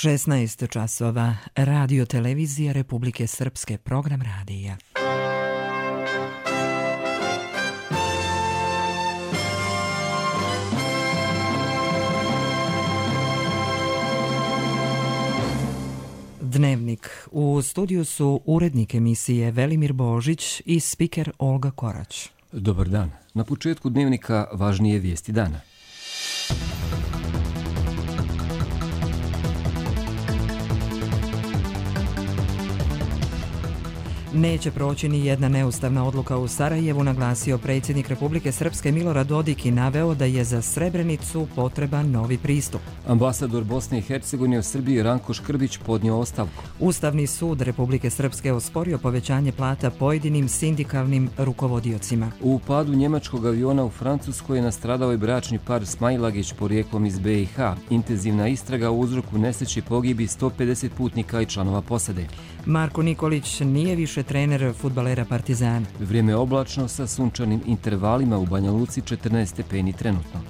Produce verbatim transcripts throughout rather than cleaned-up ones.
šesnaest časova, Radio televizija Republike Srpske, program radija. Dnevnik. U studiju su urednik emisije Velimir Božić i spiker Olga Korać. Dobar dan. Na početku dnevnika važnije vijesti dana. Neće proći ni jedna neustavna odluka u Sarajevu, naglasio predsjednik Republike Srpske Milorad Dodik i naveo da je za Srebrenicu potreban novi pristup. Ambasador Bosne i Hercegovine u Srbiji Ranko Škrbić podnio ostavku. Ustavni sud Republike Srpske osporio povećanje plata pojedinim sindikalnim rukovodiocima. U padu njemačkog aviona u Francuskoj je nastradao i bračni par Smailagić porijeklom iz B i H. Intenzivna istraga u uzroku nesreći pogibi sto pedeset putnika i članova posade. Marko Nikolić nije više trener fudbalera Partizana. Vrijeme oblačno sa sunčanim intervalima, u Banja Luci četrnaest stepeni trenutno.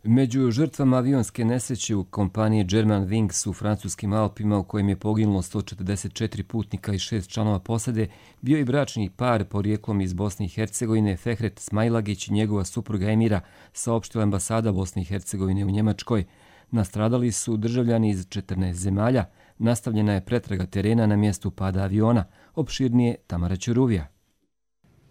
Među žrtvama avionske nesreće u kompaniji Germanwings u francuskim Alpima, u kojem je poginulo sto četrdeset četiri putnika i šest članova posade, bio i bračni par porijeklom iz Bosne i Hercegovine Fehret Smailagić i njegova supruga Emira, saopštila ambasada Bosne i Hercegovine u Njemačkoj. Nastradali su državljani iz četrnaest zemalja. Nastavljena je pretraga terena na mjestu pada aviona. Opširnije Tamara Ćuruvija.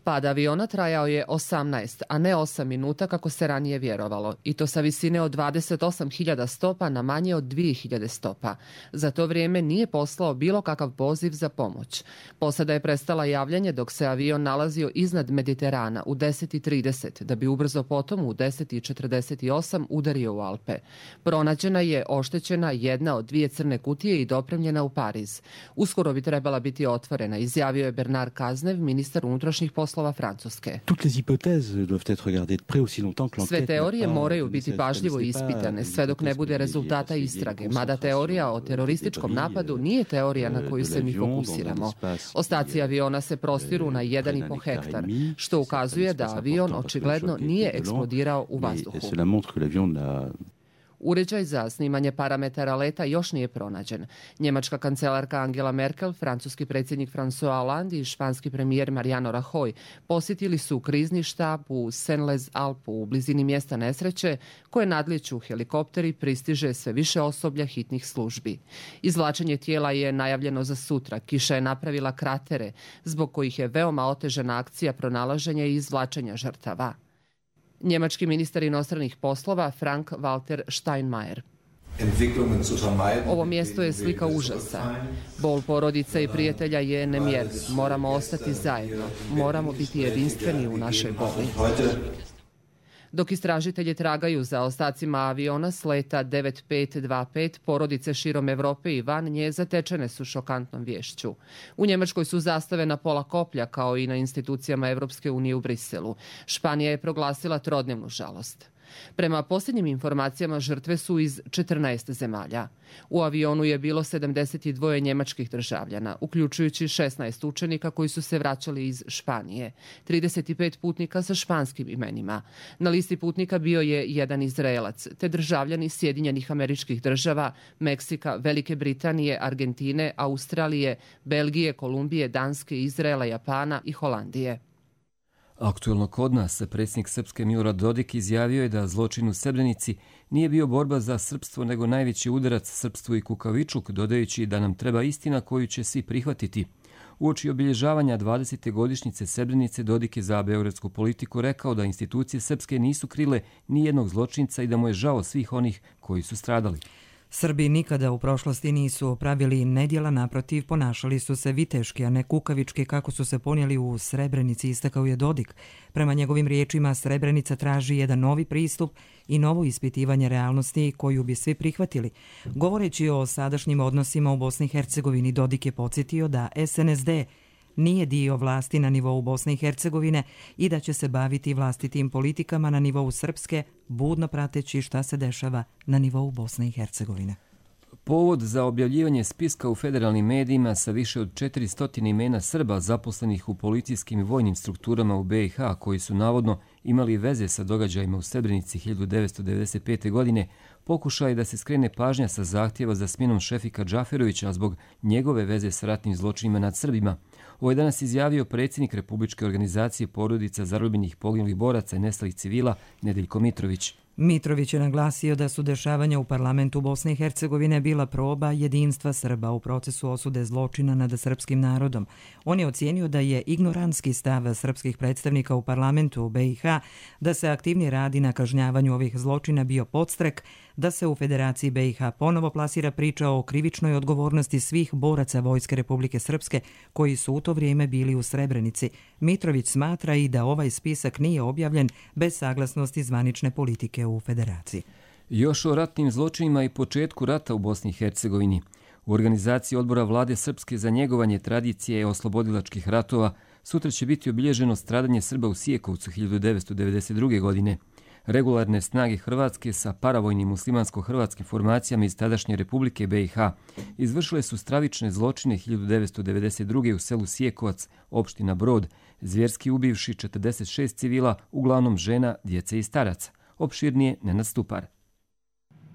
Pad aviona trajao je osamnaest, a ne osam minuta kako se ranije vjerovalo, i to sa visine od dvadeset osam hiljada stopa na manje od dvije hiljade stopa. Za to vrijeme nije poslao bilo kakav poziv za pomoć. Posada je prestala javljanje dok se avion nalazio iznad Mediterana u deset i trideset, da bi ubrzo potom u deset i četrdeset osam udario u Alpe. Pronađena je oštećena jedna od dvije crne kutije i dopremljena u Pariz. Uskoro bi trebala biti otvorena, izjavio je Bernard Cazeneuve, ministar unutrašnjih poslova Francuske. Sve teorije moraju biti pažljivo ispitane, sve dok ne bude rezultata istrage, mada teorija o terorističkom napadu nije teorija na koju se mi fokusiramo. Ostaci aviona se prostiru na jedan i po hektar, što ukazuje da avion očigledno nije eksplodirao u vazduhu. Uređaj za snimanje parametara leta još nije pronađen. Njemačka kancelarka Angela Merkel, francuski predsjednik François Hollande i španski premijer Mariano Rajoy posjetili su krizni štab u Senlez-Alpu u blizini mjesta nesreće, koje nadlijeću helikopteri, pristiže sve više osoblja hitnih službi. Izvlačenje tijela je najavljeno za sutra. Kiša je napravila kratere, zbog kojih je veoma otežana akcija pronalaženja i izvlačenja žrtava. Njemački ministar inostranih poslova Frank-Walter Steinmeier. Ovo mjesto je slika užasa. Bol porodica i prijatelja je nemjerljiv. Moramo ostati zajedno. Moramo biti jedinstveni u našoj boli. Dok istražitelji tragaju za ostacima aviona s leta devet pet dva pet, porodice širom Europe i van nje zatečene su šokantnom vješću. U Njemačkoj su zastave na pola koplja, kao i na institucijama Europske unije u Briselu. Španija je proglasila trodnevnu žalost. Prema posljednjim informacijama, žrtve su iz četrnaest zemalja. U avionu je bilo sedamdeset dva njemačkih državljana, uključujući šesnaest učenika koji su se vraćali iz Španije, trideset pet putnika sa španskim imenima. Na listi putnika bio je jedan Izraelac, te državljani Sjedinjenih Američkih Država, Meksika, Velike Britanije, Argentine, Australije, Belgije, Kolumbije, Danske, Izraela, Japana i Holandije. Aktuelno kod nas, predsjednik Srpske Milorad Dodik izjavio je da zločin u Srebrenici nije bio borba za srpstvo, nego najveći udarac srpstvu i kukavičluk, dodajući da nam treba istina koju će svi prihvatiti. Uoči obilježavanja dvadesete godišnjice Srebrenice, Dodik je za beogradsku politiku rekao da institucije srpske nisu krile ni jednog zločinca i da mu je žao svih onih koji su stradali. Srbi nikada u prošlosti nisu pravili nedjela, naprotiv, ponašali su se viteški, a ne kukavički kako su se ponijeli u Srebrenici, istakao je Dodik. Prema njegovim riječima, Srebrenica traži jedan novi pristup i novo ispitivanje realnosti koju bi svi prihvatili. Govoreći o sadašnjim odnosima u Bosni i Hercegovini, Dodik je podsjetio da S N S D nije dio vlasti na nivou Bosne i Hercegovine i da će se baviti vlastitim politikama na nivou Srpske, budno prateći šta se dešava na nivou Bosne i Hercegovine. Povod za objavljivanje spiska u federalnim medijima sa više od četiristo imena Srba zaposlenih u policijskim i vojnim strukturama u be i ha koji su navodno imali veze sa događajima u Srebrenici hiljadu devetsto devedeset pete. godine, pokušaj da se skrene pažnja sa zahtjeva za smjenom Šefika Džaferovića zbog njegove veze sa ratnim zločinima nad Srbima. Ovo je danas izjavio predsjednik Republičke organizacije porodica zarobljenih poginulih boraca i nestalih civila Nedeljko Mitrović. Mitrović je naglasio da su dešavanja u parlamentu Bosne i Hercegovine bila proba jedinstva Srba u procesu osude zločina nad srpskim narodom. On je ocijenio da je ignorantski stav srpskih predstavnika u parlamentu u be i ha da se aktivnije radi na kažnjavanju ovih zločina bio podstrek da se u Federaciji be i ha ponovo plasira priča o krivičnoj odgovornosti svih boraca Vojske Republike Srpske koji su u to vrijeme bili u Srebrenici. Mitrović smatra i da ovaj spisak nije objavljen bez saglasnosti zvanične politike u Federaciji. Još o ratnim zločinima i početku rata u Bosni i Hercegovini. U organizaciji odbora vlade Srpske za njegovanje tradicije oslobodilačkih ratova sutra će biti obilježeno stradanje Srba u Sijekovcu hiljadu devetsto devedeset druge. godine. Regularne snage Hrvatske sa paravojnim muslimansko-hrvatskim formacijama iz tadašnje Republike be i ha izvršile su stravične zločine hiljadu devetsto devedeset druge. u selu Sijekovac, opština Brod, zvjerski ubivši četrdeset šest civila, uglavnom žena, djece i staraca. Opširnije Nenad Stupar.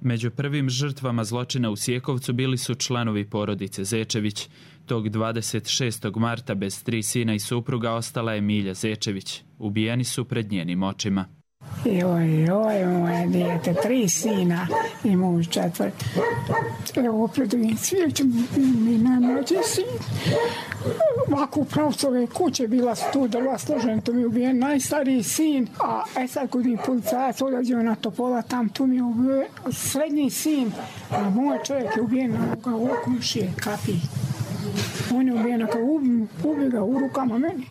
Među prvim žrtvama zločina u Sijekovcu bili su članovi porodice Zečević. Tog dvadeset šestog marta bez tri sina i supruga ostala je Milja Zečević. Ubijeni su pred njenim očima. Joj, joj, moje dijete, tri sina i muž četvrt. Evo, pred ovim svijećem mi najmlađi sin. Ovako u pravcu ove kuće bila su tu drva složena, tu mi je ubijen najstariji sin, a e sad kod mi policajac odlađeo na Topola, tam tu mi je ubijen srednji sin, a moj čovjek je ubijen na komšije, kapi. On je ubijen kao ubi, ubi ga u rukama meni.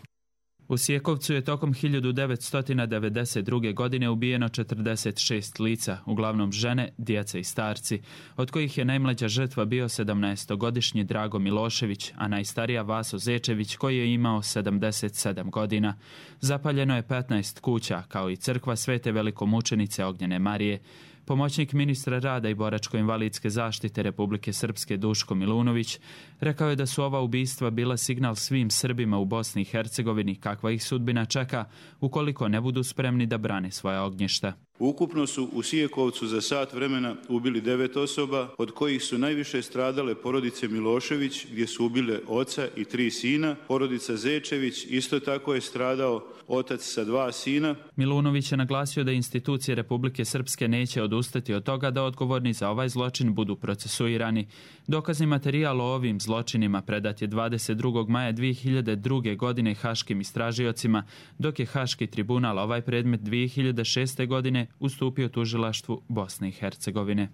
U Sijekovcu je tokom hiljadu devetsto devedeset druge. godine ubijeno četrdeset šest lica, uglavnom žene, djeca i starci, od kojih je najmlađa žrtva bio sedamnaestogodišnji Drago Milošević, a najstarija Vaso Zečević koji je imao sedamdeset sedam godina. Zapaljeno je petnaest kuća, kao i crkva Svete velikomučenice Ognjene Marije. Pomoćnik ministra rada i boračko-invalidske zaštite Republike Srpske Duško Milunović rekao je da su ova ubistva bila signal svim Srbima u Bosni i Hercegovini kakva ih sudbina čeka ukoliko ne budu spremni da brane svoja ognjišta. Ukupno su u Sijekovcu za sat vremena ubili devet osoba, od kojih su najviše stradale porodice Milošević, gdje su ubile oca i tri sina. Porodica Zečević isto tako je stradao otac sa dva sina. Milunović je naglasio da institucije Republike Srpske neće odustati od toga da odgovorni za ovaj zločin budu procesuirani. Dokazni materijal o ovim zločinima predat je dvadeset drugog maja dvije hiljade druge. godine haškim istražiocima, dok je Haški tribunal ovaj predmet dvije hiljade šeste. godine ustupio tužilaštvu Bosne i Hercegovine.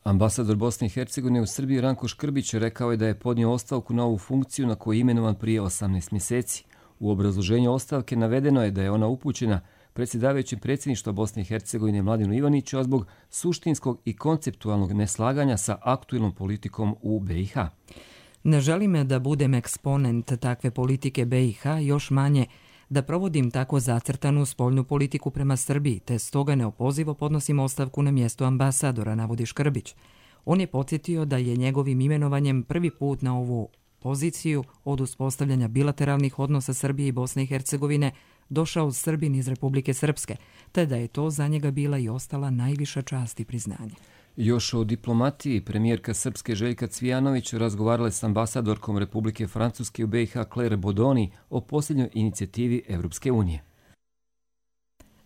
Ambasador Bosne i Hercegovine u Srbiji Ranko Škrbić rekao je da je podnio ostavku na ovu funkciju na koju je imenovan prije osamnaest mjeseci. U obrazloženju ostavke navedeno je da je ona upućena predsjedavajućem predsjedništva Bosne i Hercegovine Mladenu Ivaniću, a zbog suštinskog i konceptualnog neslaganja sa aktuelnom politikom u be i ha. Ne želim da budem eksponent takve politike be i ha, još manje da provodim tako zacrtanu spoljnu politiku prema Srbiji, te stoga neopozivo podnosim ostavku na mjesto ambasadora, navodi Škrbić. On je podsjetio da je njegovim imenovanjem prvi put na ovu poziciju od uspostavljanja bilateralnih odnosa Srbije i Bosne i Hercegovine došao Srbin iz Republike Srpske, te da je to za njega bila i ostala najviša čast i priznanje. Još o diplomatiji, premijerka Srpske Željka Cvijanović razgovarala s ambasadorkom Republike Francuske u be i ha Claire Bodoni o posljednjoj inicijativi Evropske unije.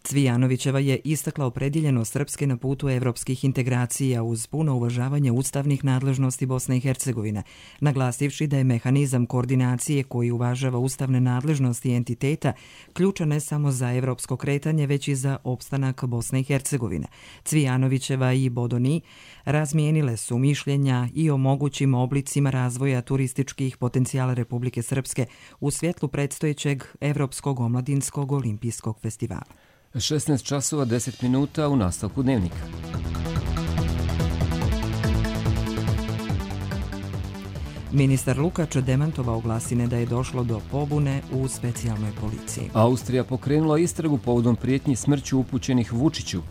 Cvijanovićeva je istakla opredjeljenost Srpske na putu evropskih integracija uz puno uvažavanje ustavnih nadležnosti Bosne i Hercegovine, naglasivši da je mehanizam koordinacije koji uvažava ustavne nadležnosti entiteta ključan ne samo za evropsko kretanje, već i za opstanak Bosne i Hercegovine. Cvijanovićeva i Bodoni razmijenile su mišljenja i o mogućim oblicima razvoja turističkih potencijala Republike Srpske u svjetlu predstojećeg Evropskog omladinskog olimpijskog festivala. šesnaest časova deset minuta u nastavku dnevnika. Ministar Lukač demantovao glasine da je došlo do pobune u specijalnoj policiji. Austrija pokrenula istragu povodom prijetnji smrću upućenih Vučiću.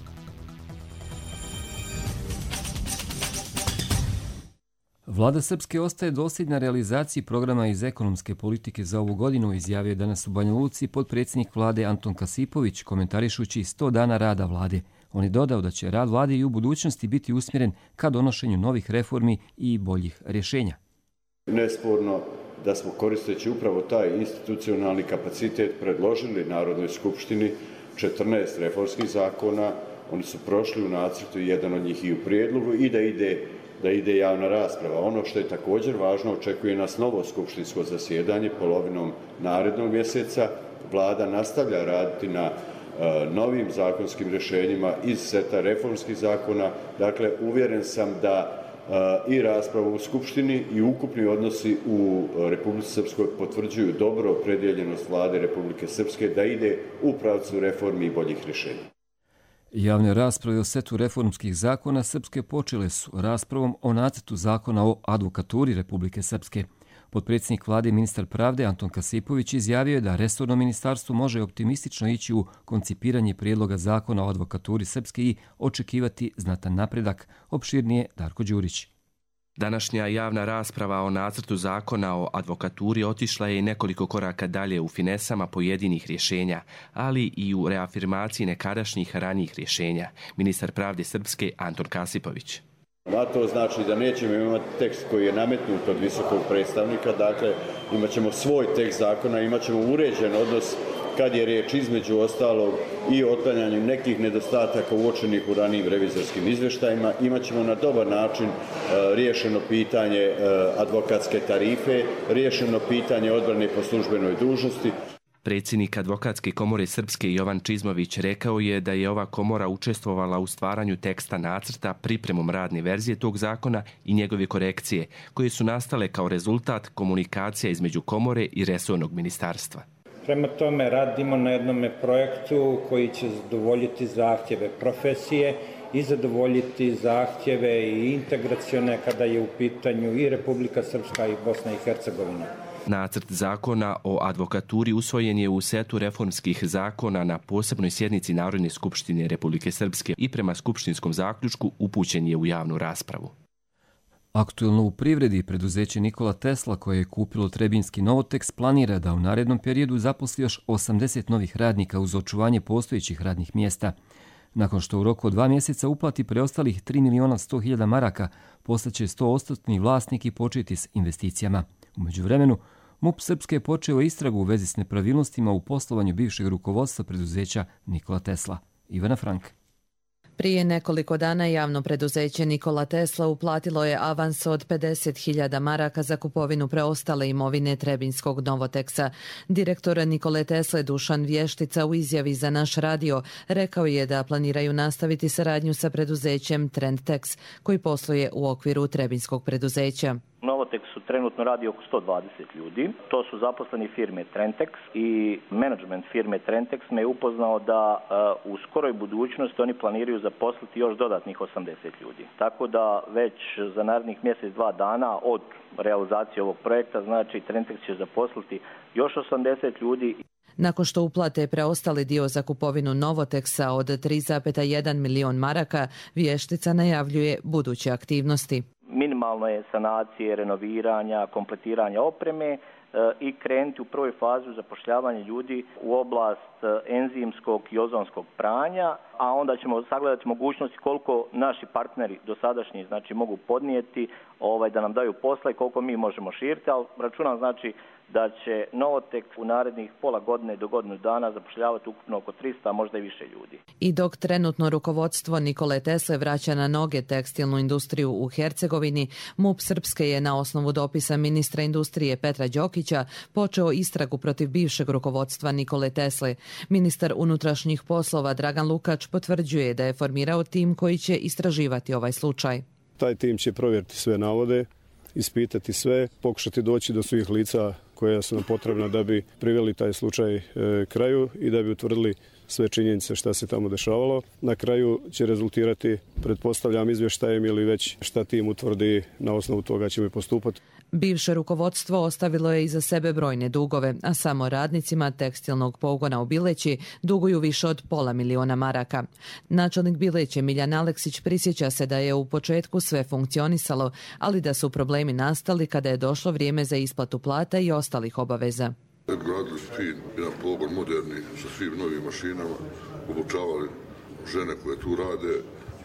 Vlada Srpske ostaje dosljedna realizaciji programa iz ekonomske politike za ovu godinu, izjavio je danas u Banja Luci potpredsjednik vlade Anton Kasipović, komentarišući sto dana rada vlade. On je dodao da će rad vlade i u budućnosti biti usmjeren ka donošenju novih reformi i boljih rješenja. Nesporno da smo koristeći upravo taj institucionalni kapacitet predložili Narodnoj skupštini četrnaest reformskih zakona. Oni su prošli u nacrtu, jedan od njih i u prijedlogu, i da ide da ide javna rasprava. Ono što je također važno, očekuje nas novo skupštinsko zasjedanje polovinom narednog mjeseca. Vlada nastavlja raditi na uh, novim zakonskim rješenjima iz seta reformskih zakona. Dakle, uvjeren sam da uh, i rasprava u skupštini i ukupni odnosi u Republici Srpskoj potvrđuju dobro opredjeljenost vlade Republike Srpske da ide u pravcu reformi i boljih rješenja. Javne rasprave o setu reformskih zakona Srpske počele su raspravom o nacrtu zakona o advokaturi Republike Srpske. Potpredsjednik vlade i ministar pravde Anton Kasipović izjavio je da resorno ministarstvo može optimistično ići u koncipiranje prijedloga zakona o advokaturi Srpske i očekivati znatan napredak. Opširnije Darko Đurić. Današnja javna rasprava o nacrtu zakona o advokaturi otišla je i nekoliko koraka dalje u finesama pojedinih rješenja, ali i u reafirmaciji nekadašnjih ranijih rješenja. Ministar pravde Srpske Anton Kasipović. A to znači da nećemo imati tekst koji je nametnut od visokog predstavnika, dakle imat ćemo svoj tekst zakona, imat ćemo uređen odnos kad je riječ između ostalog i o otklanjanju nekih nedostataka uočenih u ranijim revizorskim izvještajima. Imat ćemo na dobar način e, riješeno pitanje e, advokatske tarife, riješeno pitanje odbrane po službenoj dužnosti. Predsjednik Advokatske komore Srpske Jovan Čizmović rekao je da je ova komora učestvovala u stvaranju teksta nacrta, pripremom radne verzije tog zakona i njegove korekcije, koje su nastale kao rezultat komunikacija između komore i resornog ministarstva. Prema tome radimo na jednom projektu koji će zadovoljiti zahtjeve profesije i zadovoljiti zahtjeve i integracione kada je u pitanju i Republika Srpska i Bosna i Hercegovina. Nacrt zakona o advokaturi usvojen je u setu reformskih zakona na posebnoj sjednici Narodne skupštine Republike Srpske i prema skupštinskom zaključku upućen je u javnu raspravu. Aktuelno u privredi preduzeće Nikola Tesla, koje je kupilo Trebinski Novoteks, planira da u narednom periodu zaposli još osamdeset novih radnika uz očuvanje postojećih radnih mjesta. Nakon što u roku od dva mjeseca uplati preostalih tri miliona sto hiljada maraka, postaće sto posto vlasnik i početi s investicijama. U međuvremenu, MUP Srpske je počeo istragu u vezi s nepravilnostima u poslovanju bivšeg rukovodstva preduzeća Nikola Tesla. Ivana Frank. Prije nekoliko dana javno preduzeće Nikola Tesla uplatilo je avans od pedeset hiljada maraka za kupovinu preostale imovine Trebinskog Novoteksa. Direktor Nikole Tesle Dušan Vještica u izjavi za naš radio rekao je da planiraju nastaviti saradnju sa preduzećem Trendtex, koji posluje u okviru Trebinskog preduzeća. Novotexu trenutno radi oko sto dvadeset ljudi. To su zaposleni firme Trendtex i menadžment firme Trendtex me je upoznao da uh, u skoroj budućnosti oni planiraju zaposliti još dodatnih osamdeset ljudi. Tako da već za narednih mjesec, dva dana od realizacije ovog projekta, znači Trendtex će zaposliti još osamdeset ljudi. Nakon što uplate preostali dio za kupovinu Novoteksa od tri zarez jedan milion maraka, Vještica najavljuje buduće aktivnosti. Minimalno je sanacije, renoviranja, kompletiranja opreme e, i krenuti u prvoj fazi zapošljavanja ljudi u oblast enzimskog i ozonskog pranja, a onda ćemo sagledati mogućnosti koliko naši partneri dosadašnji znači mogu podnijeti ovaj da nam daju posla i koliko mi možemo širiti, ali računam znači da će Novotek u narednih pola godine do godinu dana zapošljavati ukupno oko trista, možda i više ljudi. I dok trenutno rukovodstvo Nikole Tesle vraća na noge tekstilnu industriju u Hercegovini, MUP Srpske je na osnovu dopisa ministra industrije Petra Đokića počeo istragu protiv bivšeg rukovodstva Nikole Tesle. Ministar unutrašnjih poslova Dragan Lukač potvrđuje da je formirao tim koji će istraživati ovaj slučaj. Taj tim će provjeriti sve navode, ispitati sve, pokušati doći do svih lica koja su nam potrebna da bi priveli taj slučaj e, kraju i da bi utvrdili sve činjenice šta se tamo dešavalo. Na kraju će rezultirati, pretpostavljam, izvještajem ili već šta tim utvrdi, na osnovu toga ćemo i postupati. Bivše rukovodstvo ostavilo je iza sebe brojne dugove, a samo radnicima tekstilnog pogona u Bileći duguju više od pola miliona maraka. Načelnik Bileće Miljan Aleksić prisjeća se da je u početku sve funkcionisalo, ali da su problemi nastali kada je došlo vrijeme za isplatu plata i ostalih obaveza. Gradili su fin, jedan pogon moderni sa svim novim mašinama, obučavali žene koje tu rade,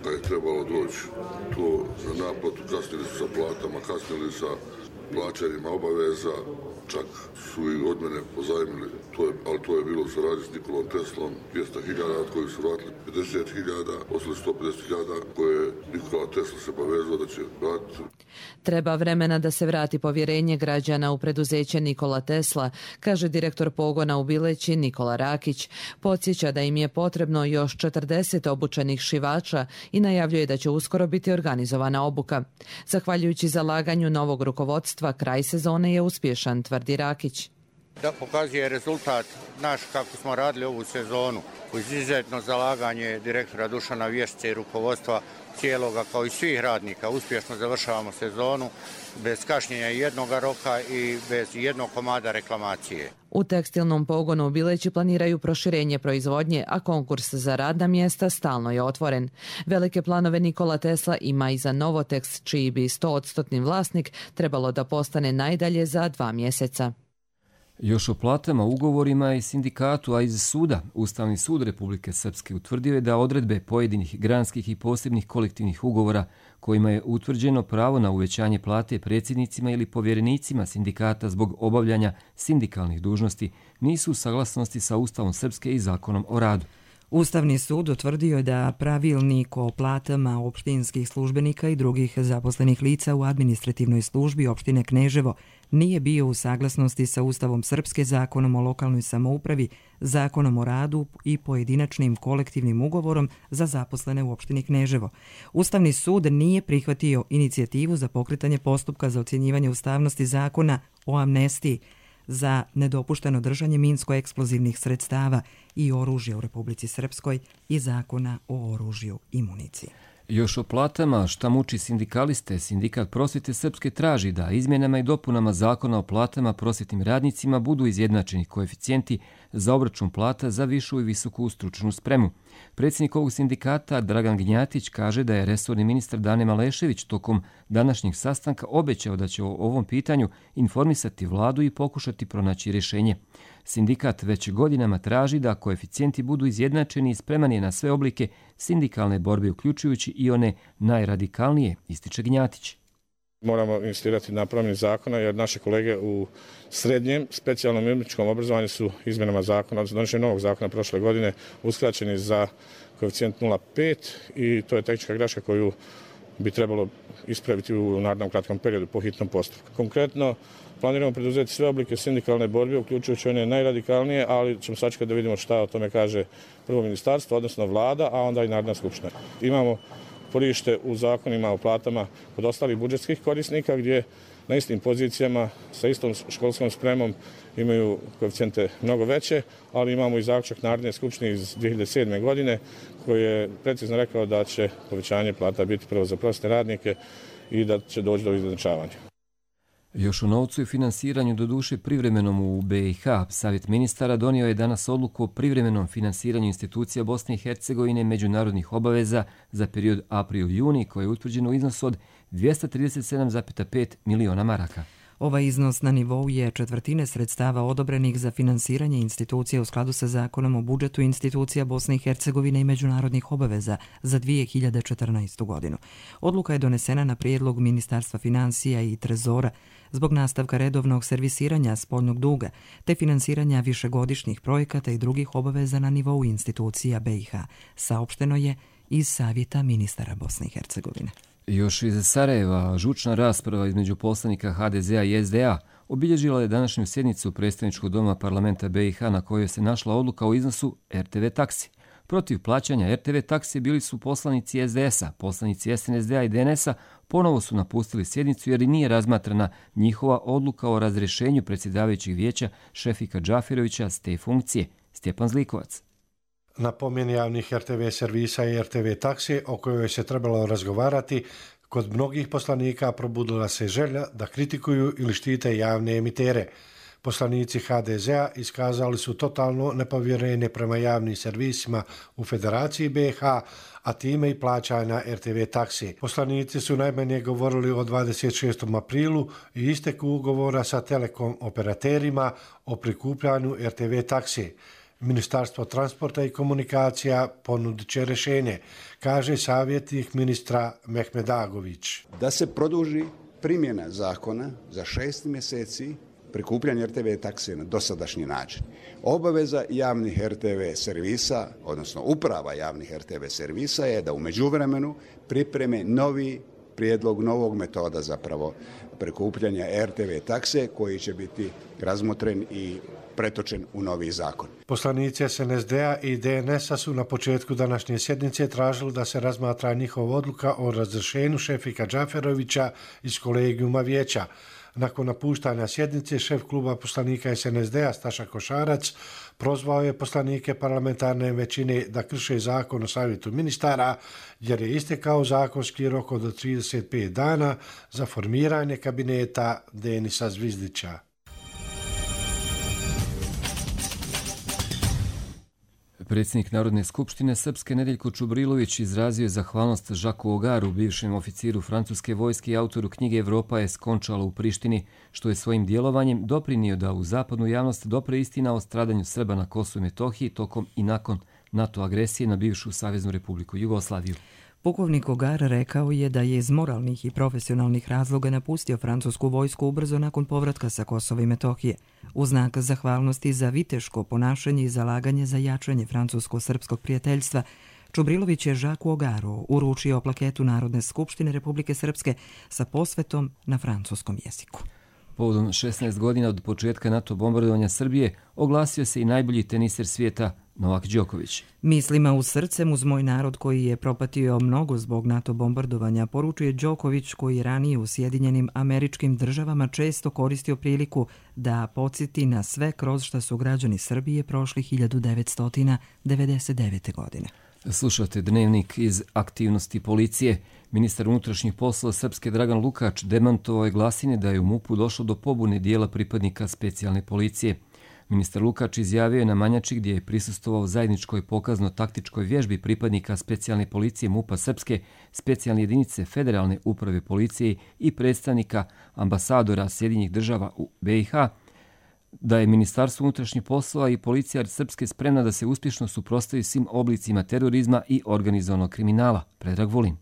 kad je trebalo doći to za naplatu, kasnili su sa platama, kasnili sa plaćanjima obaveza, čak su i od mene pozajmili, to je, ali to je bilo u saradnji s Nikolom Teslom, dvjesto hiljada, od kojih su vratili pedeset hiljada, ostali sto pedeset hiljada, koje Nikola Tesla se povezao da će vratiti. Treba vremena da se vrati povjerenje građana u preduzeće Nikola Tesla, kaže direktor pogona u Bileći Nikola Rakić. Podsjeća da im je potrebno još četrdeset obučenih šivača i najavljuje da će uskoro biti organizovana obuka. Zahvaljujući zalaganju novog rukovodstva, kraj sezone je uspješan, tvrdi Rakić. Da pokazuje rezultat naš kako smo radili ovu sezonu, uz izuzetno zalaganje direktora Dušana Vješića i rukovodstva cijeloga kao i svih radnika. Uspješno završavamo sezonu bez kašnjenja jednog roka i bez jednog komada reklamacije. U tekstilnom pogonu u Bileći planiraju proširenje proizvodnje, a konkurs za radna mjesta stalno je otvoren. Velike planove Nikola Tesla ima i za Novoteks, čiji bi stoodstotni vlasnik trebalo da postane najdalje za dva mjeseca. Još o platama, ugovorima i sindikatu, a iz suda. Ustavni sud Republike Srpske utvrdio je da odredbe pojedinih granskih i posebnih kolektivnih ugovora kojima je utvrđeno pravo na uvećanje plate predsjednicima ili povjerenicima sindikata zbog obavljanja sindikalnih dužnosti nisu u saglasnosti sa Ustavom Srpske i Zakonom o radu. Ustavni sud utvrdio je da pravilnik o platama opštinskih službenika i drugih zaposlenih lica u administrativnoj službi opštine Kneževo nije bio u saglasnosti sa Ustavom Srpske, Zakonom o lokalnoj samoupravi, Zakonom o radu i pojedinačnim kolektivnim ugovorom za zaposlene u opštini Kneževo. Ustavni sud nije prihvatio inicijativu za pokretanje postupka za ocjenjivanje ustavnosti Zakona o amnestiji za nedopušteno držanje minsko-eksplozivnih sredstava i oružja u Republici Srpskoj i Zakona o oružju i municiji. Još o platama, šta muči sindikaliste, Sindikat prosvjete Srpske traži da izmjenama i dopunama Zakona o platama prosvjetnim radnicima budu izjednačeni koeficijenti za obračun plata za višu i visoku stručnu spremu. Predsjednik ovog sindikata Dragan Gnjatić kaže da je resorni ministar Dane Malešević tokom današnjeg sastanka obećao da će o ovom pitanju informisati vladu i pokušati pronaći rješenje. Sindikat već godinama traži da koeficijenti budu izjednačeni i spreman je na sve oblike sindikalne borbe, uključujući i one najradikalnije, ističe Gnjatić. Moramo investirati na promjeni zakona jer naše kolege u srednjem specijalnom i umjetničkom obrazovanju su izmjenama zakona, odnosno donošenjem novog zakona prošle godine uskraćeni za koeficijent nula zarez pet i to je tehnička greška koju bi trebalo ispraviti u narednom kratkom periodu po hitnom postupku. Konkretno, planiramo preduzeti sve oblike sindikalne borbe, uključujući one najradikalnije, ali ćemo sačekati da vidimo šta o tome kaže prvo ministarstvo, odnosno vlada, a onda i Narodna skupština. Imamo porište u zakonima o platama kod ostalih budžetskih korisnika gdje na istim pozicijama sa istom školskom spremom imaju koeficijente mnogo veće, ali imamo i zaključak Narodne skupštine iz dvije hiljade sedme. godine koji je precizno rekao da će povećanje plata biti prvo za prosvjetne radnike i da će doći do izjednačavanja. Još o novcu i finansiranju, do duše privremenom u B i H, Savjet ministara donio je danas odluku o privremenom finansiranju institucija Bosne i Hercegovine međunarodnih obaveza za period april-juni koji je utvrđen u iznosu od dvjesto trideset sedam zarez pet miliona maraka. Ovaj iznos na nivou je četvrtine sredstava odobrenih za finansiranje institucija u skladu sa Zakonom o budžetu institucija Bosne i Hercegovine i međunarodnih obaveza za dvije hiljade četrnaestu. godinu. Odluka je donesena na prijedlog Ministarstva financija i Trezora zbog nastavka redovnog servisiranja spoljnog duga te finansiranja višegodišnjih projekata i drugih obaveza na nivou institucija B i H, saopšteno je iz Savjeta ministara Bosne i Hercegovine. Još iz Sarajeva, žučna rasprava između poslanika H D Z-a i S D A obilježila je današnju sjednicu predstavničkog doma parlamenta B i H na kojoj se našla odluka o iznosu R T V taksi. Protiv plaćanja R T V taksi bili su poslanici S D S-a, poslanici S N S D-a i D N S-a ponovo su napustili sjednicu jer i nije razmatrana njihova odluka o razrješenju predsjedavajućeg vijeća Šefika Džafirovića s te funkcije. Stjepan Zlikovac. Na pomjeni javnih R T V servisa i R T V taksi o kojoj se trebalo razgovarati, Kod mnogih poslanika probudila se želja da kritikuju ili štite javne emitere. Poslanici ha de zea iskazali su totalno nepovjerenje prema javnim servisima u Federaciji be ha, a time i plaćanja er te ve taksi. Poslanici su najmanje govorili o dvadeset šestom aprilu i isteku ugovora sa telekom operaterima o prikupljanju er te ve taksi. Ministarstvo transporta i komunikacija ponudit će rješenje, kaže savjetnik ministra Mehmedagović. Da se produži primjena zakona za šest mjeseci prikupljanje er te ve taksije na dosadašnji način. Obaveza javnih er te ve servisa, odnosno uprava javnih er te ve servisa je da u međuvremenu pripreme novi prijedlog novog metoda zapravo prikupljanja er te ve takse koji će biti razmotren i pretočen u novi zakon. Poslanici es en es de-a i de en es-a su na početku današnje sjednice tražili da se razmatra njihova odluka o razrješenju Šefika Džaferovića iz kolegijuma vijeća. Nakon napuštanja sjednice, šef kluba poslanika es en es de-a Staša Košarac prozvao je poslanike parlamentarne većine da krše zakon o savjetu ministara jer je istekao zakonski rok od trideset pet dana za formiranje kabineta Denisa Zvizdića. Predsjednik Narodne skupštine Srpske Nedeljko Čubrilović izrazio je zahvalnost Žaku Ogaru, bivšem oficiru francuske vojske i autoru knjige Evropa je skončala u Prištini, što je svojim djelovanjem doprinio da u zapadnu javnost dopre istina o stradanju Srba na Kosovu i Metohiji tokom i nakon NATO agresije na bivšu Saveznu Republiku Jugoslaviju. Pukovnik Ogar rekao je da je iz moralnih i profesionalnih razloga napustio francusku vojsku ubrzo nakon povratka sa Kosova i Metohije. U znak zahvalnosti za viteško ponašanje i zalaganje za jačanje francusko-srpskog prijateljstva, Čubrilović je Žaku Ogaru uručio plaketu Narodne skupštine Republike Srpske sa posvetom na francuskom jeziku. Povodom šesnaest godina od početka NATO bombardovanja Srbije oglasio se i najbolji teniser svijeta Novak Đoković. Mislima u srcem uz moj narod koji je propatio mnogo zbog NATO bombardovanja, poručuje Đoković koji ranije u Sjedinjenim Američkim Državama često koristio priliku da podsjeti na sve kroz šta su građani Srbije prošli hiljadu devetsto devedeset devete. godine. Slušate dnevnik iz aktivnosti policije. Ministar unutrašnjih poslova Srpske Dragan Lukač demantovao je glasine da je u MUP-u došlo do pobune dijela pripadnika specijalne policije. Ministar Lukač izjavio je na Manjači gdje je prisustvovao zajedničkoj pokazno-taktičkoj vježbi pripadnika specijalne policije MUP-a Srpske, specijalne jedinice Federalne uprave policije i predstavnika ambasadora Sjedinjenih država u be i ha, da je Ministarstvo unutrašnjih poslova i policija Srpske spremna da se uspješno suprotstavi svim oblicima terorizma i organizovanog kriminala. Predrag Vulin.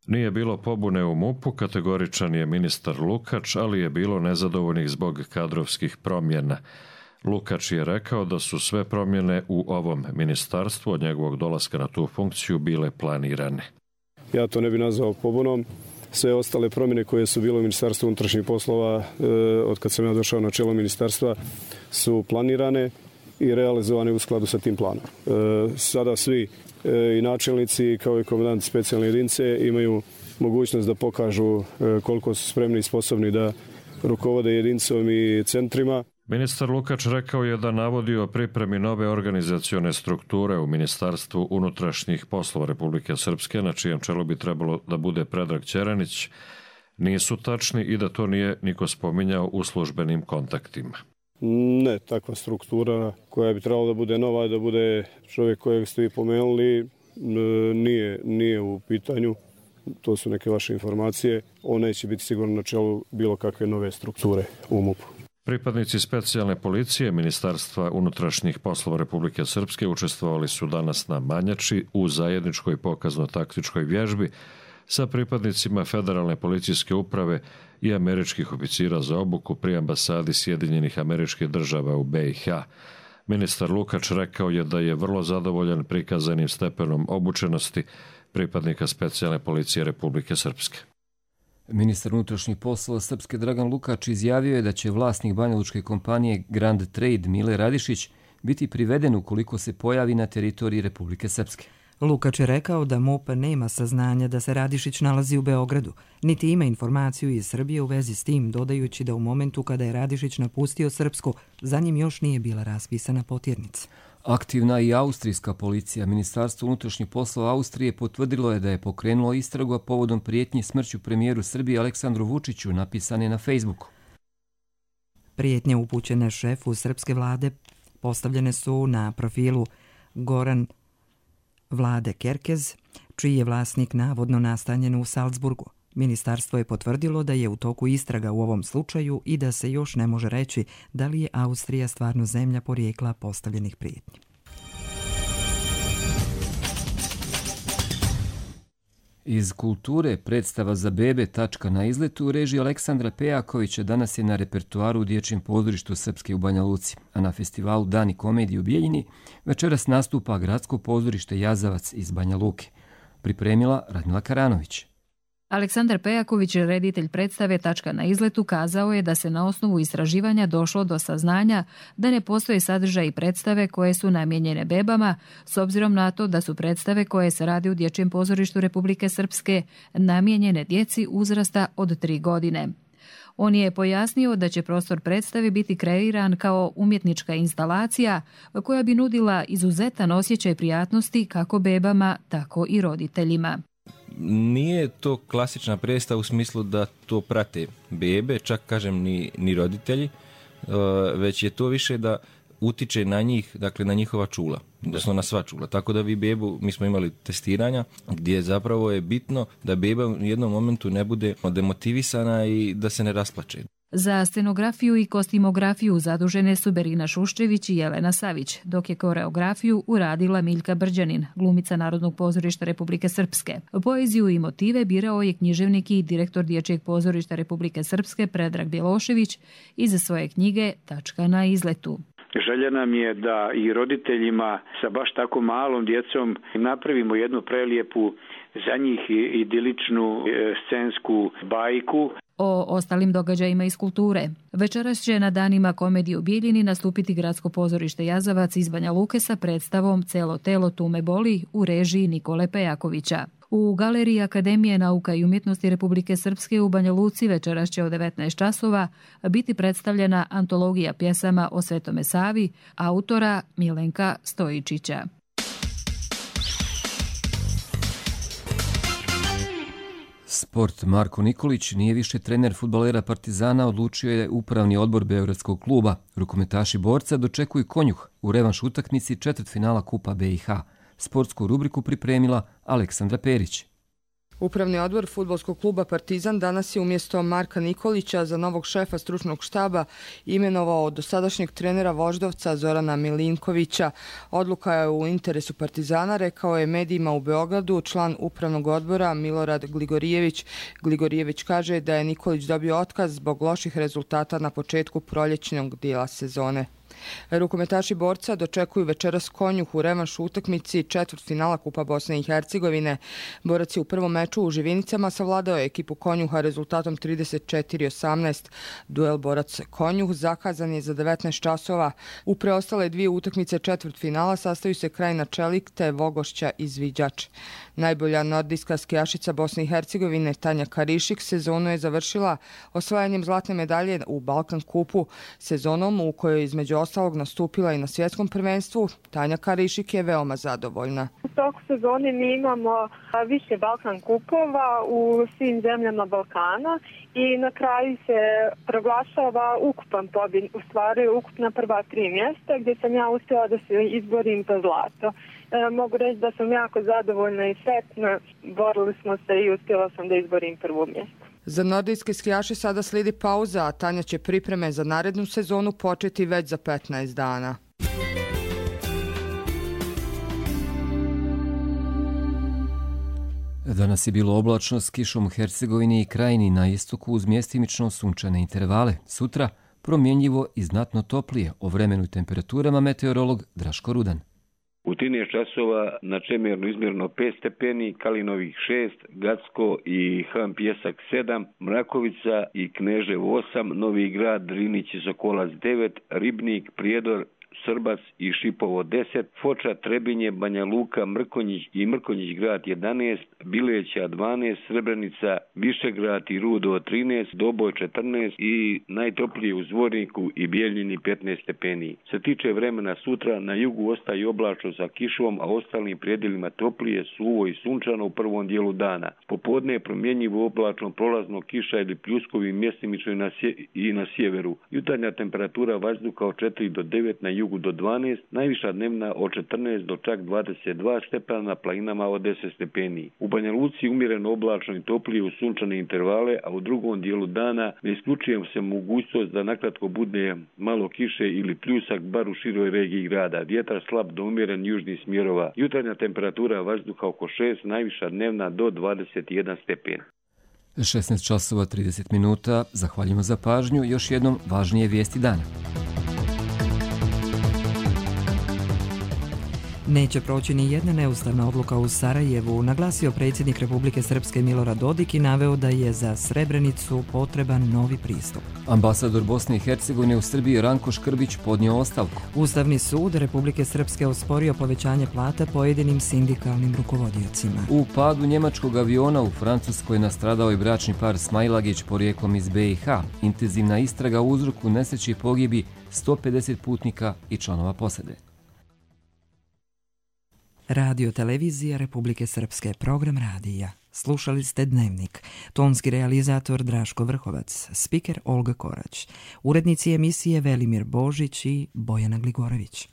Nije bilo pobune u MUP-u, kategoričan je ministar Lukač, ali je bilo nezadovoljnih zbog kadrovskih promjena. Lukač je rekao da su sve promjene u ovom ministarstvu od njegovog dolaska na tu funkciju bile planirane. Ja to ne bi nazvao pobunom. Sve ostale promjene koje su bile u Ministarstvu unutrašnjih poslova e, od kad sam ja došao na čelo ministarstva su planirane i realizovane u skladu sa tim planom. E, sada svi e, i načelnici kao i komandanti specijalne jedinice imaju mogućnost da pokažu e, koliko su spremni i sposobni da rukovode jedinicom i centrima. Ministar Lukač rekao je da navodi o pripremi nove organizacione strukture u Ministarstvu unutrašnjih poslova Republike Srpske, na čijem čelu bi trebalo da bude Predrag Ćeranić, nisu tačni i da to nije niko spominjao u službenim kontaktima. Ne, takva struktura koja bi trebala da bude nova, da bude čovjek kojeg ste vi pomenuli, nije, nije u pitanju. To su neke vaše informacije. On neće biti sigurno na čelu bilo kakve nove strukture u MUP-u. Pripadnici specijalne policije Ministarstva unutrašnjih poslova Republike Srpske učestvovali su danas na Manjači u zajedničkoj pokazno-taktičkoj vježbi sa pripadnicima Federalne policijske uprave i američkih oficira za obuku pri ambasadi Sjedinjenih Američkih Država u be i ha. Ministar Lukač rekao je da je vrlo zadovoljan prikazanim stepenom obučenosti pripadnika specijalne policije Republike Srpske. Ministar unutrašnjih poslova Srpske Dragan Lukač izjavio je da će vlasnik banjalučke kompanije Grand Trade Mile Radišić biti priveden ukoliko se pojavi na teritoriji Republike Srpske. Lukač je rekao da MUP nema saznanja da se Radišić nalazi u Beogradu, niti ima informaciju iz Srbije u vezi s tim, dodajući da u momentu kada je Radišić napustio Srpsku, za njim još nije bila raspisana potjernica. Aktivna i austrijska policija. Ministarstvo unutrašnjih poslova Austrije potvrdilo je da je pokrenulo istragu povodom prijetnji smrću premijeru Srbije Aleksandru Vučiću, napisane na Facebooku. Prijetnje upućene šefu srpske vlade postavljene su na profilu Goran Vlade Kerkez, čiji je vlasnik navodno nastanjen u Salzburgu. Ministarstvo je potvrdilo da je u toku istraga u ovom slučaju i da se još ne može reći da li je Austrija stvarno zemlja porijekla postavljenih prijetnji. Iz kulture predstava za bebe Tačka na izletu u režiji Aleksandra Pejakovića danas je na repertuaru u Dječjem pozorištu Srpske u Banja Luci, a na festivalu Dani komedije u Bijeljini večeras nastupa Gradsko pozorište Jazavac iz Banja Luke. Pripremila Radmila Karanović. Aleksandar Pejaković, reditelj predstave Tačka na izletu, kazao je da se na osnovu istraživanja došlo do saznanja da ne postoje sadržaji predstave koje su namijenjene bebama, s obzirom na to da su predstave koje se rade u Dječjem pozorištu Republike Srpske namijenjene djeci uzrasta od tri godine. On je pojasnio da će prostor predstave biti kreiran kao umjetnička instalacija koja bi nudila izuzetan osjećaj prijatnosti kako bebama, tako i roditeljima. Nije to klasična predstava u smislu da to prate bebe, čak kažem ni, ni roditelji, već je to više da utiče na njih, dakle na njihova čula, odnosno na sva čula. Tako da vi bebu, mi smo imali testiranja gdje zapravo je bitno da beba u jednom momentu ne bude demotivisana i da se ne rasplače. Za scenografiju i kostimografiju zadužene su Berina Šuščević i Jelena Savić, dok je koreografiju uradila Miljka Brđanin, glumica Narodnog pozorišta Republike Srpske. Poeziju i motive birao je književnik i direktor Dječjeg pozorišta Republike Srpske Predrag Bjelošević iz svoje knjige Tačka na izletu. Želja nam je da i roditeljima sa baš tako malom djecom napravimo jednu prelijepu, za njih idiličnu scensku bajku. O ostalim događajima iz kulture. Večeras će na danima komedije u Bijeljini nastupiti Gradsko pozorište Jazavac iz Banja Luke sa predstavom Celo telo tu me boli u režiji Nikole Pejakovića. U Galeriji Akademije nauka i umjetnosti Republike Srpske u Banja Luci večeras će od devetnaest časova biti predstavljena antologija pjesama o Svetome Savi autora Milenka Stojičića. Sport. Marko Nikolić nije više trener fudbalera Partizana, odlučio je upravni odbor beogradskog kluba. Rukometaši borca dočekuju Konjuh u revanš utakmici četvrtfinala Kupa B i H. Sportsku rubriku pripremila Aleksandra Perić. Upravni odbor fudbalskog kluba Partizan danas je umjesto Marka Nikolića za novog šefa stručnog štaba imenovao dosadašnjeg trenera Voždovca Zorana Milinkovića. Odluka je u interesu Partizana, rekao je medijima u Beogradu član upravnog odbora Milorad Gligorijević. Gligorijević kaže da je Nikolić dobio otkaz zbog loših rezultata na početku proljećnog dijela sezone. Rukometaši borca dočekuju večeras Konjuh u revanš utakmici četvrtfinala Kupa Bosne i Hercegovine. Borac je u prvom meču u Živinicama savladao ekipu Konjuha rezultatom trideset četiri osamnaest. Duel Borac-Konjuh zakazan je za devetnaest časova. U preostale dvije utakmice četvrtfinala sastaju se Krajina Čelik te Vogošća i Zviđač. Najbolja nordijska skijašica Bosne i Hercegovine Tanja Karišik sezonu je završila osvajanjem zlatne medalje u Balkan kupu, sezonom u kojoj između ostalog nastupila i na svjetskom prvenstvu. Tanja Karišik je veoma zadovoljna. U toku sezoni mi imamo više Balkan kupova u svim zemljama Balkana i na kraju se proglašava ukupan pobjed, u stvari ukupna prva tri mjesta gdje sam ja uspjela da se izborim za zlato. E, mogu reći da sam jako zadovoljna i sretna, borili smo se i uspjela sam da izborim prvo mjesto. Za nordijske skijaše sada slijedi pauza, a Tanja će pripreme za narednu sezonu početi već za petnaest dana. Danas je bilo oblačno s kišom u Hercegovini i Krajini, na istoku uz mjestimično sunčane intervale. Sutra promjenjivo i znatno toplije. O vremenu i temperaturama meteorolog Draško Rudan. U trinaest časova na Čemernu izmjerno pet stepeni, Kalinovih šest, Gacko i Han Pjesak sedam, Mrakovica i Kneževo osam, Novi Grad, Drinić i Sokolac devet, Ribnik, Prijedor, Srbac i Šipovo deset, Foča, Trebinje, Banja Luka, Mrkonjić i Mrkonjić grad jedanaest, Bileća dvanaest, Srebrenica, Višegrad i Rudo trinaest, Doboj četrnaest i najtoplije u Zvorniku i Bijeljini petnaest stepeni. Se tiče vremena sutra, na jugu ostaje oblačno sa kišom, a ostalim predjelima toplije, suvo i sunčano u prvom dijelu dana. Popodne je promjenjivo oblačno, prolazno kiša ili pljuskovi mjestimično i na, sje, i na sjeveru. Jutarnja temperatura vazduha od četiri do devet, na jugu do dvanaest, najviša dnevna od četrnaest do čak dvadeset dva stepena, na planinama od deset stepeni. U Banja Luci umjereno oblačno i toplije u sunčane intervale, a u drugom dijelu dana ne isključujem se mogućnost da nakratko bude malo kiše ili pljusak bar u široj regiji grada. Vjetar slab do umjeren južnih smjerova. Jutarnja temperatura vazduha oko šest, najviša dnevna do dvadeset jedan stepen. šesnaest časova trideset minuta. Zahvaljujemo za pažnju. Još jednom važnije vijesti dana. Neće proći ni jedna neustavna odluka u Sarajevu, naglasio predsjednik Republike Srpske Milorad Dodik i naveo da je za Srebrenicu potreban novi pristup. Ambasador Bosne i Hercegovine u Srbiji Ranko Škrbić podnio ostavku. Ustavni sud Republike Srpske osporio povećanje plata pojedinim sindikalnim rukovodiocima. U padu njemačkog aviona u Francuskoj nastradao je bračni par Smajlagić porijeklom iz B i H. Intenzivna istraga o uzroku nesreći pogibi sto pedeset putnika i članova posade. Radio televizija Republike Srpske, program radija. Slušali ste Dnevnik. Tonski realizator Draško Vrhovac, spiker Olga Korać, urednici emisije Velimir Božić i Bojana Gligorović.